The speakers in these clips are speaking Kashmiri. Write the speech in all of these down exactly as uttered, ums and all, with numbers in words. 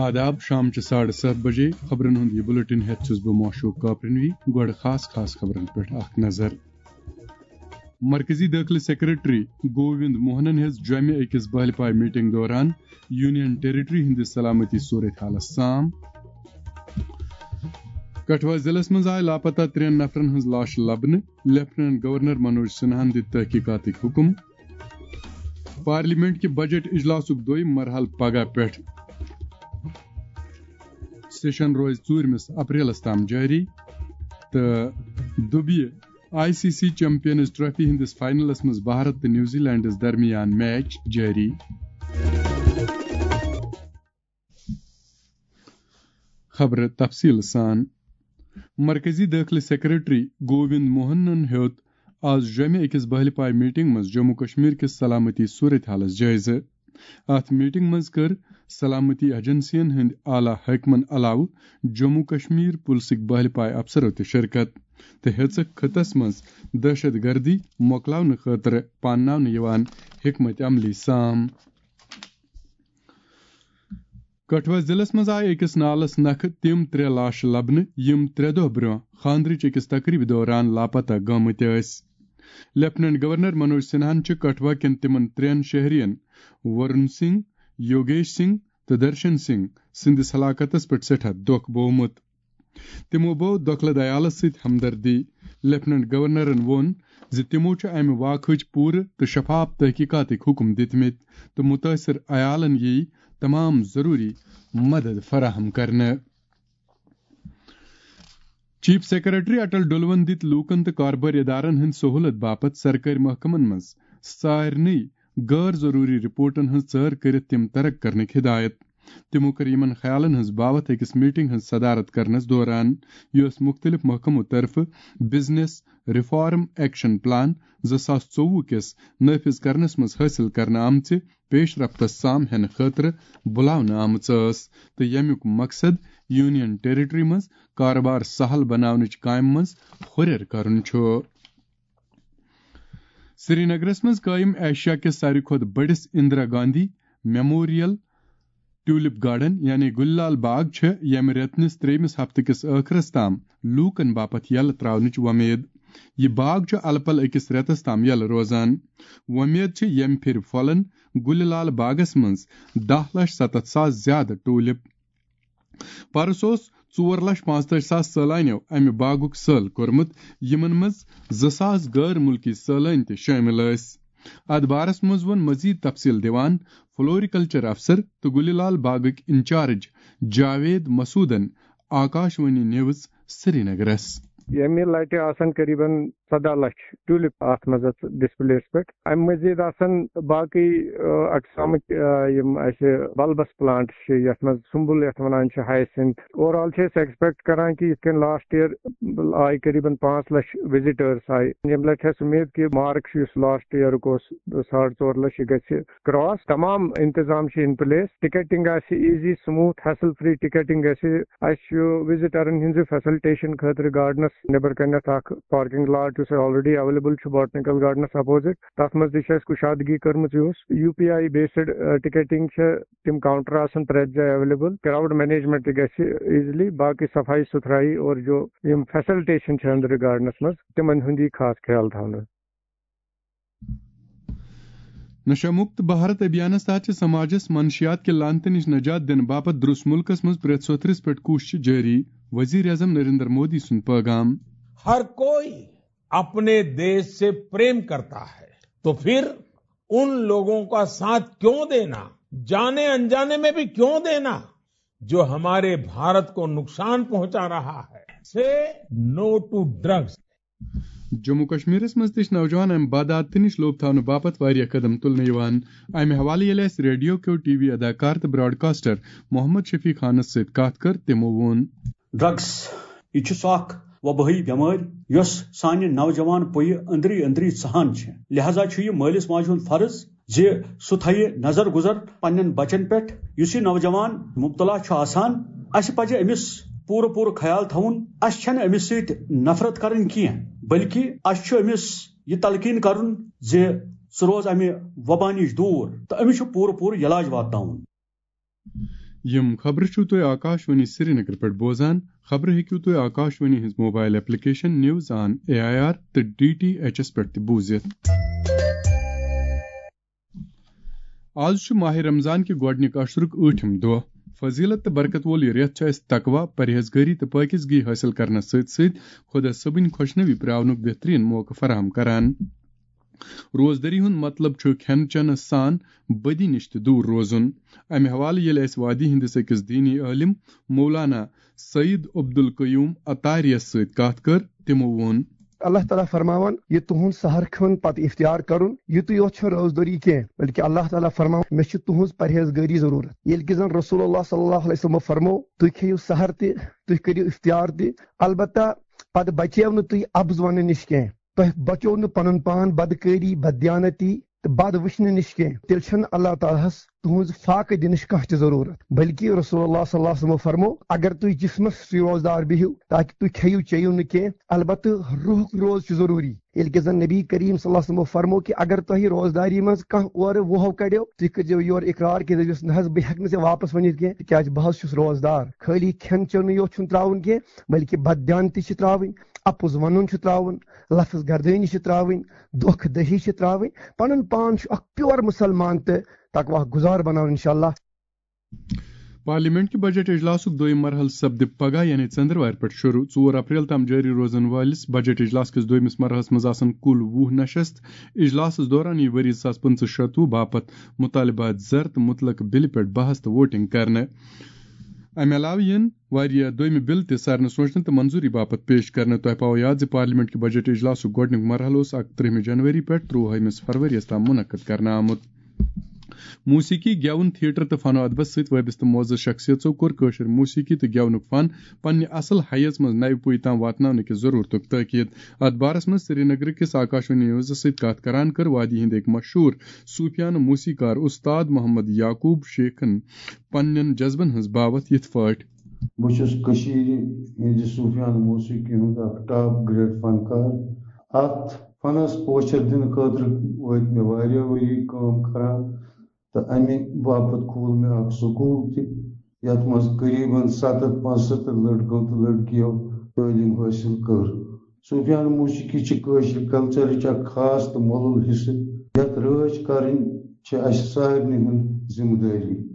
آداب، شام چہِ ساڑٕ ستھ بجے خبرن ہُنٛد یہِ بُلٹن ہٮ۪تھ چھُس بہٕ معشوق کاپرنوی۔ گۄڈٕ خاص خاص خبرن پٮ۪ٹھ اکھ نظر۔ مرکزی دٲخلہٕ سیکرٹری گووند موہنن ہیٚژ جوٚمہِ أکِس بہلہِ پایہِ میٹنگ دوران یونین ٹیریٹری ہٕنٛدِس سلامتی صورت حالس سام۔ کٹھوا ضلعس منٛز آیہِ لاپتہ ترٛٮ۪ن نفرن ہٕنٛز لاش لبنہٕ، لیفٹیننٹ گورنر منوج سنہاہن دِتۍ تحقیقاتٕکۍ حُکم۔ پارلیمنٹ کہِ بجٹ اجلاسُک دوٚیِم مرحلہٕ پگاہ پٮ۪ٹھ۔ سیشن روزِ ژوٗرمِس اپریلس تام جٲری۔ تہٕ دُبیہِ I C C champions trophy ہٕنٛدِس فائنلس منٛز بھارت تہٕ نیوزی لینڈس درمیان میچ جٲری۔ خبرٕ تفصیٖل سان۔ مرکزی دٲخلہٕ سیکرٹری گووند موہنن ہیوٚت آز جوٚمہِ أکِس بہلہِ پایہِ میٹنگ منٛز جموں کشمیر کِس سلامتی صورت حالس جٲیزٕ۔ اتھ میٹنگ منٛز کٔر سلامتی ایجنسین ہٕنٛدۍ اعلیٰ حٲکمن علاوٕ جموں کشمیر پُلسٕکۍ بہلہِ پایہِ افسرو تہِ شرکت تہٕ ہیٚژٕکھ خطس منٛز دہشت گردی مۄکلاونہٕ خٲطرٕ پانناونہٕ یِوان حکمت عملی سام۔ کٹھوا ضلعس منٛز آیہِ أکِس نالس نکھٕ تِم ترٛےٚ لاشہٕ لبنہٕ، یِم ترٛےٚ دۄہ برٛونٛہہ خانٛدرٕچ أکِس تقریبہِ دوران لاپتہ گٲمٕتۍ ٲسۍ۔ لیفٹیننٹ گورنر منوج سنہاہن چھِ کٹھوا کٮ۪ن تِمن ترٛٮ۪ن شہرین ورن سنگھ، یوگیش سنگھ تہٕ درشن سنگھ سٕنٛدِس ہلاکتس پٮ۪ٹھ سٮ۪ٹھاہ دۄکھ بوومُت۔ تِمو بٲو دۄکھلہٕ عیالس سۭتۍ ہمدردی۔ لیفٹیننٹ گورنرن ووٚن زِ تِمو چھُ امہِ واقعٕچ پوٗرٕ تہٕ شفاف تحقیقاتٕکۍ حُکم دِتمٕتۍ تہٕ مُتٲثِر عیالن یِیہِ تمام ضروٗری مدد فراہم کرنہٕ۔ چیف سیکرٹری اٹل ڈلون دِتۍ لوٗکن تہٕ کاربٲرۍ ادارن ہٕنٛدِ سہوٗلت باپتھ سرکٲرۍ محکمن منٛز سارنٕے غٲر ضروٗری رپورٹن ہٕنٛز ژٲر کٔرِتھ تِم ترک کرنٕکۍ ہدایت۔ تِمو کٔر یِمن خیالن ہٕنٛز باوتھ أکِس میٹنگ ہٕنٛز صدارت کرنس دوران، یۄس مُختٔلِف محکمو طرفہٕ بزنس ریفارم ایکشن پلان زٕ ساس ژوٚوُہ کِس نافذ کرنس منٛز حٲصِل کرنہٕ آمژِ پیش رفتس سام ہینہٕ خٲطرٕ بُلاونہٕ آمٕژ ٲس تہٕ ییٚمیُک مقصد یونین ٹیریٹری منٛز کارٕبار سہل بناونٕچ کامہِ منٛز ہُرٮ۪ر کرُن چھُ۔ سرینگرس منٛز قٲیِم ایشیا کِس ساروی کھۄتہٕ بٔڑِس Indira Gandhi memorial tulip garden یعنی گُلہِ لال باغ چھِ ییٚمہِ رٮ۪تہٕ نِس ترٛیٚیمِس ہفتہٕ کِس ٲخرس تام لوٗکن باپتھ یلہٕ ترٛاونٕچ وۄمید۔ یہِ باغ چھُ الہٕ پلہٕ أکِس رٮ۪تس تام یلہٕ روزان۔ وۄمید چھِ ییٚمہِ پھِرِ پھۄلن گُلہِ لال باغس منٛز دَہ لچھ ستتھ ساس زیادٕ ٹیولپ۔ پرس اوس ژور لچھ پانٛژتٲجۍ ساس سٲلانیو امہِ باغُک سٲل کوٚرمُت، یِمن منٛز زٕ ساس غٲر مُلکی سٲلٲنۍ تہِ شٲمِل ٲسۍ۔ اتھ بارس منٛز ووٚن مزید تفصیل دِوان فلوریکلچر افسر تہٕ گُلہِ لال باغٕکۍ انچارج جاوید مسعودن آکاشوانی نیوز سرینگرس۔ ییٚمہِ لٹہِ آسن قریباً ژۄداہ لچھ ٹیولپ اتھ منٛز اتھ ڈسپلیس پٮ۪ٹھ۔ امہِ مزید آسن باقٕے، آ، اقسامٕکۍ، آ، یِم اسہِ بلبس پلانٹ چھِ، یتھ منٛز سُمبل یتھ ونان چھِ، ہیاسنتھ۔ اوور آل چھِ أسۍ ایکسپیکٹ کران کہِ یِتھ کٔنۍ لاسٹ ایئر آیہِ قریباً پانٛژھ لچھ وزٹرس آیہِ، ییٚمہِ لٹہِ چھِ اسہِ امید کہِ مارک چھُ یُس لاسٹ ایئرُک اوس ساڑ ژور لچھ، یہِ گژھِ کراس۔ تمام انتظام چھِ ان پلیس، ٹکٹنگ آسہِ easy, smooth, hassle free ticketing گژھِ۔ اسہِ چھُ وزٹرن ہٕنٛزِ فیسلٹیشن خٲطرٕ گارڈنس نیبر کنٮ۪تھ اکھ پارکنگ لاٹ یُس already available چھُ باٹنیکل گارڈنس اپوزٹ۔ تتھ منٛز تہِ چھِ اسہِ کُشادگی کٔرمٕژ۔ یُس U P I based ticketing چھِ، تِم کاؤنٹر آسن پرٛٮ۪تھ جایہِ اویلیبل۔ کراؤڈ مینجمنٹ تہِ گژھِ ایزلی، باقٕے صفائی ستھرائی اور جو یِم فیسلٹیشن چھِ أنٛدرٕ گارڈنس منٛز، تِمن ہُنٛد یی خاص خیال تھاونہٕ۔ نشہ مکت بھارت ابھیانس تحت چھِ سماجس منشیات کہِ لعنتہٕ نِش نجات دِنہٕ باپتھ درٛوس مُلکس منٛز پرٛٮ۪تھ سوٚتھرِس پٮ۪ٹھ کوٗشش جٲری، وزیر اعظم نریندر مودی سُنٛد پٲغام۔ ہر کوئی اپنے دیش سے پریم کرتا ہے، تو پھر ان لوگوں کا ساتھ کیوں دینا، جانے انجانے میں بھی کیوں دینا، جو ہمارے بھارت کو نقصان پہنچا رہا ہے۔ سے نو ٹو ڈرگز۔ جموں کشمیرس منٛز تہِ چھِ نوجوان امہِ بدعادتہٕ نِش لوٚب تھاونہٕ باپتھ واریاہ قدم تُلنہٕ یِوان۔ امہِ حوالہٕ ییٚلہِ اَسہِ ریڈیو کیو ٹی وی اداکار تہٕ براڈکاسٹر محمد شفیع خانس سۭتۍ کتھ کٔر، تِمو ووٚن۔ ڈرگس، یہِ چھُ سُہ اکھ وبٲیی بٮ۪مٲرۍ یۄس سانہِ نوجوان پُیہِ أنٛدری أنٛدری ژہان چھِ۔ لہذا چھُ یہِ مٲلِس ماجہِ ہُنٛد فرض زِ سُہ تھایہِ نظر گُزر پننٮ۪ن بچن پٮ۪ٹھ۔ یُس یہِ نوجوان مبتلا چھُ آسان، اسہِ پزِ أمِس پوٗرٕ پوٗرٕ خیال تھاوُن۔ اسہِ چھنہٕ أمِس سۭتۍ نفرت کرٕنۍ کینٛہہ، بلکہِ اسہِ چھُ أمِس یہِ تلقین کرُن زِ سُہ روز امہِ وبا نِش دوٗر تہٕ أمِس چھُ پوٗرٕ پوٗرٕ علاج واتناوُن۔ یِم خبرٕ چھِو تُہۍ آکاشوانی سرینگر پٮ۪ٹھ بوزان۔ خبرٕ ہیٚکِو تُہۍ آکاشوانی ہٕنٛز mobile application news on A I R تہٕ ڈی ٹی ایچ ایس پٮ۪ٹھ تہِ بوٗزِتھ۔ آز چھُ ماہِ رمضان کہِ گۄڈٕنیُک عشرُک ٲٹھِم دۄہ۔ فضیلت تہٕ برکت وول یہِ رٮ۪تھ چھُ اَسہِ تقویٰ، پرہیزگٲری تہٕ پٲکیزگی حٲصِل کرنس سۭتۍ سۭتۍ خۄدا صٲبٕنۍ خۄشنوی پراونُک بہتریٖن موقعہٕ فراہم کران۔ روزدٲری ہُنٛد مطلب چھُ کھٮ۪ن چٮ۪نس سان بدی نِش تہِ دوٗر روزُن۔ امہِ حوالہٕ ییٚلہِ اَسہِ وادی ہٕنٛدِس أکِس دیٖنی عٲلِم مولانا سعید عبدالقیوم عطاریَس سۭتۍ کتھ کٔر، تِمو ووٚن۔ اللہ تعالیٰ فرماوان، یہِ تُہُنٛد سحر کھیوٚن پتہٕ افطار کرُن، یِتُے یوت چھُنہٕ روزدٲری کینٛہہ، بلکہِ اللہ تعالیٰ فرماوان، مےٚ چھِ تُہٕنٛز پرہیزگٲری ضروٗرت۔ ییٚلہِ کہِ زن رسول اللہ صلی اللہ علیہ وسلمو فرمو، تُہۍ کھیٚیِو سحر تہِ، تُہۍ کٔرِو افطار تہِ، البتہ پتہٕ بچیو نہٕ تُہۍ اَبٕز وننہٕ نِش کینٛہہ۔ تۄہہِ بچوو نہٕ پنُن پان بدکٲری، بددیانتی تہٕ بد وٕچھنہٕ نِش کینٛہہ۔ تیٚلہِ چھَنہٕ اللہ تعالیٰ ہس تُہٕنٛز فاقہٕ دِنٕچ کانٛہہ تہِ ضروٗرت، بلکہِ رسول اللہ صلی اللہ علیہ وسلمو فرمو، اگر تُہۍ جسمس سۭتۍ روزدار بِہِو، تاکہِ تُہۍ کھیٚیِو چیٚیِو نہٕ کینٛہہ، البتہٕ روحُک روز چھُ ضروٗری۔ ییٚلہِ کہِ زن نبی کریم صلی اللہ علیہ وسلمو فرمو کہِ اگر تۄہہِ روزداری منٛز کانٛہہ اورٕ وُہو کڑیو، تُہۍ کٔرۍزیو یورٕ اقرار کہِ دٔپۍزیوس، نہ حظ، بہٕ ہٮ۪کہٕ نہٕ ژےٚ واپس ؤنِتھ کینٛہہ، تِکیازِ بہٕ حظ چھُس روزدار۔ خٲلی کھٮ۪ن چٮ۪نٕے یوت چھُنہٕ ترٛاوُن کینٛہہ، بلکہِ بددیانتی چھِ ترٛاوٕنۍ، اپُز ونُن چھُ ترٛاوُن، لفظ گردٲنی چھِ ترٛاوٕنۍ، دھوکہ دہی چھِ ترٛاوٕنۍ، پنُن پان چھُ اکھ پیور مسلمان تہٕ تقویٰ گزار بناوُن انشاءاللہ۔ پارلیمنٹ کہِ بجٹ اجلاسُک دوٚیِم مرحلہٕ سپدِ پگاہ یعنی ژٔنٛدٕروارِ پٮ۪ٹھ شروٗع۔ ژور اپریل تام جٲری روزن وٲلِس بجٹ اجلاس کِس دوٚیمِس مرحلس منٛز آسن کُل وُہ نشست۔ اجلاسس دوران یِیہِ ؤری زٕ ساس پٕنٛژٕہ شتوُہ باپتھ مطالبات زر تہٕ مُتلق بِلہِ پٮ۪ٹھ بحث تہٕ ووٹنگ کرنہٕ۔ امہِ علاوٕ یِن واریاہ دوٚیمہِ بِل تہِ سارنہٕ سوچنہٕ تہٕ منظوٗری باپتھ پیش کرنہٕ۔ تۄہہِ پاوو یاد زِ پارلیمنٹ کہِ بجٹ اجلاسُک گۄڈٕنیُک مرحلہٕ اوس اَکترٛہمہِ جنوری پٮ۪ٹھ ترٛوہٲیمِس فروریَس تام منعقد کرنہٕ آمُت۔ موسیقی، گٮ۪وُن، تھیٹر تہٕ فن و ادبس سۭتۍ وابستہٕ معزز شخصیژو کوٚر کٲشِر موسیقی تہٕ گٮ۪ونُک فن پننہِ اصل حیژ منٛز نوِ پُیہِ تام واتناونہٕ کِس ضرورتُک تٲکید۔ اتھ بارس منٛز سرینگرٕ کِس آکاشوانی نیوزس سۭتۍ کتھ کران کٔر وادی ہٕنٛدۍ أکۍ مشہوٗر صوٗفیانہٕ موسیقار استاد محمد یعقوب شیخن پننٮ۪ن جذبن ہٕنٛز باوتھ یِتھ پٲٹھۍ۔ بہٕ چھُس کٔشیٖرِ ہٕنٛدِ صوٗفیانہٕ موسیقی ہُنٛد اکھ ٹاپ گریڈ فنکار۔ اتھ فنس پوچھر دِنہٕ خٲطرٕ وٲتۍ مےٚ واریاہ ؤری کٲم کران تہٕ امہِ باپتھ کھوٗل مےٚ اکھ سکوٗل تہِ، یتھ منٛز قریباً ستتھ پانٛژستتھ لڑکو تہٕ لڑکیو تعلیٖم حٲصِل کٔر۔ صوٗفیانہٕ موسیقی چھِ کٲشرِ کلچرٕچ اکھ خاص تہٕ مۄلُل حصہٕ، یتھ رٲچھ کرٕنۍ چھِ اسہِ سارنٕے ہٕنٛز ذمہٕ دٲری۔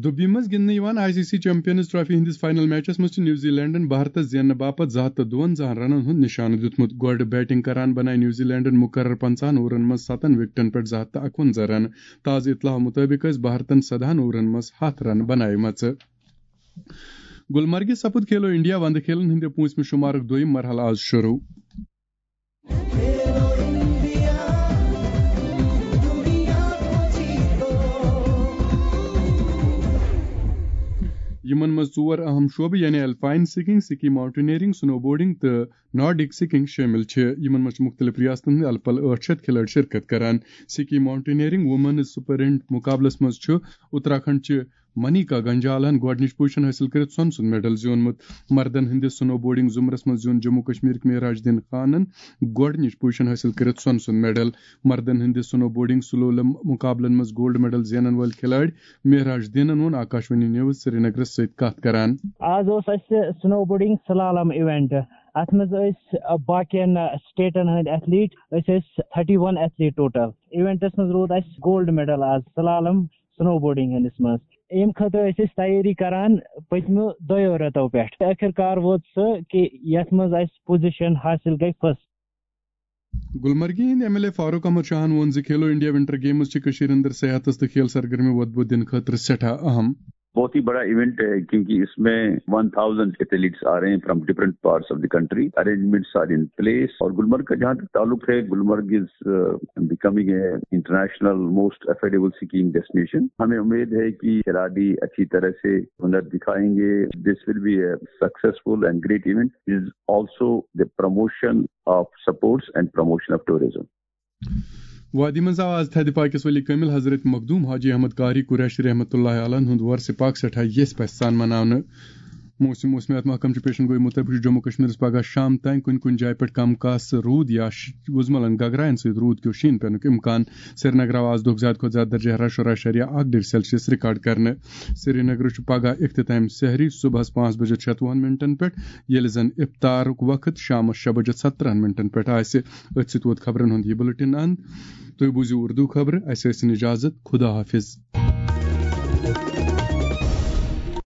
دُبیی منٛز گِنٛدنہٕ یِوان I C C champions trophy ہٕنٛدِس فائنل میچس منٛز چھِ نیوزی لینڈن بھارتس زیننہٕ باپتھ زٕ ہتھ تہٕ دُوَنزاہن رنن ہُنٛد نشانہٕ دیُتمُت۔ گۄڈٕ بیٹنگ کران بنایہِ نیوزی لینڈن مقرر پنٛژاہن اوورن منٛز ستن وکٹن پٮ۪ٹھ زٕ ہتھ تہٕ اکوَنزاہ رن۔ تازٕ اطلاع مُطٲبِق ٲسۍ بھارتن سدہن اوورن منٛز ہتھ رن بنایمژٕ۔ گلمرگہِ سپُد کھیلو انڈیا وندٕ کھیلن ہٕنٛدِ پوٗنٛژمہِ شُمارُک دوٚیِم مرحلہٕ آز شروٗع۔ یِمن منٛز ژور اہم شعبہٕ یعنی الپائن سکیئنگ، سکی ماؤنٹینئرنگ، سنو بورڈنگ تہٕ نارڈک سکیئنگ شٲمِل چھِ۔ یِمن منٛز چھِ مُختٔلِف ریاستن ہٕنٛدۍ الہٕ پلہٕ ٲٹھ شیٚتھ کھلٲڑۍ شرکت کران۔ سکی ماؤنٹینئرنگ وومینز سپرنٹ مُقابلس منٛز چھُ اتراکھنڈ چہِ منیکا گنجالن گۄڈٕنِچ پوزیشن حٲصِل کٔرِتھ سۄنہٕ سُنٛد میڈل زیوٗنمُت۔ مردن ہٕنٛدِ سنو بورڈنگ زمرس منٛز زیوٗن جموں کشمیرٕکۍ معراج الدین خانن گۄڈٕنِچ پوزیشن حٲصِل کٔرِتھ سۄنہٕ سُنٛد میڈل۔ مردن ہٕنٛدِ سنو بورڈنگ سلولم مُقابلن منٛز گولڈ میڈل زینن وٲلۍ کھلٲڑۍ معراج الدینن ووٚن آکاشوانی نیوز سرینگرس سۭتۍ کتھ کران۔ آز اوس اسہِ سنو بورڈنگ سلالم ایونٹ۔ اتھ منٛز ٲسۍ، ا، باقین، ا، سٹیٹن ہٕنٛدۍ ایتھلیٹ، أسۍ ٲسۍ تھرٹی ون ایتھلیٹ ٹوٹل۔ ایونٹس منٛز روٗد اسہِ گولڈ میڈل آز سلالم سنو بورڈنگ ہٕنٛدِس منٛز۔ ییٚمہِ خٲطرٕ ٲسۍ أسۍ تیٲری کران پٔتمیو دۄیو رٮ۪تو پٮ۪ٹھ۔ ٲخٕر کار ووت سُہ کہِ یتھ منٛز اسہِ پوزیشن حٲصِل گٔے فرسٹ۔ گلمرگہِ ہٕنٛدۍ M L A Farooq Ahmad شاہن ووٚن زِ کھیلو انڈیا ونٹر گیمز چھِ کٔشیٖرِ اندر صحتس تہٕ کھیل سرگرمی وۄدبو دِنہٕ خٲطرٕ سٮ۪ٹھاہ اہم۔ بہت ہی بڑا ایونٹ ہے، کیونکہ اس میں ون تھاؤزینڈ ایتھلیٹس آ رہے ہیں from different parts of the country, arrangements are in place. اور گلمرگ کا جہاں تک تعلق ہے، Gulmarg is becoming a international most affordable skiing destination. ہمیں امید ہے کہ کھلاڑی اچھی طرح سے ہنر دکھائیں گے۔ This will be a successful and great event. It is also the promotion of sports and promotion of tourism. وادی منٛز آو آز تھدِ پاکِس ولی کٲمِل حضرت مخدوم حاجی احمد قاری قریشی رحمتہ اللہ علیہ ہُنٛد وۄرثہِ پاک سٮ۪ٹھاہ یژھِ پژھِ سان مناونہٕ۔ موسم موسمیات محکمہٕ چہِ پیشن گوئی مُطٲبِق چھُ جموں کشمیرس پگہہ شام تام کُنہِ کُنہِ جایہِ پٮ۪ٹھ کم کاسہٕ روٗد یا ش- وُزملن گگراین سۭتۍ روٗد کیو شیٖن پٮ۪نُک امکان۔ سرینگرٕ آو آز دۄہُک زیادٕ کھۄتہٕ زیادٕ درجہ حرارت شُراہ اَشاریہ اَکھ ڈگری سیلسیس ریکارڈ کرنہٕ۔ سرینگرٕ چھُ پگہہ اختتام سحری صبحس پانٛژھ بجے ژۄدہَن منٹن پٮ۪ٹھ، ییٚلہِ زن افطارُک وقت شامس شےٚ بجے سترہَن منٹن پٮ۪ٹھ آسہِ۔ أتھۍ سۭتۍ ووت خبرن ہُنٛد یہِ بُلٹن اند۔ تُہۍ بوٗزِو اردو خبرٕ، اسہِ ٲسِن اجازت، خدا حافظ۔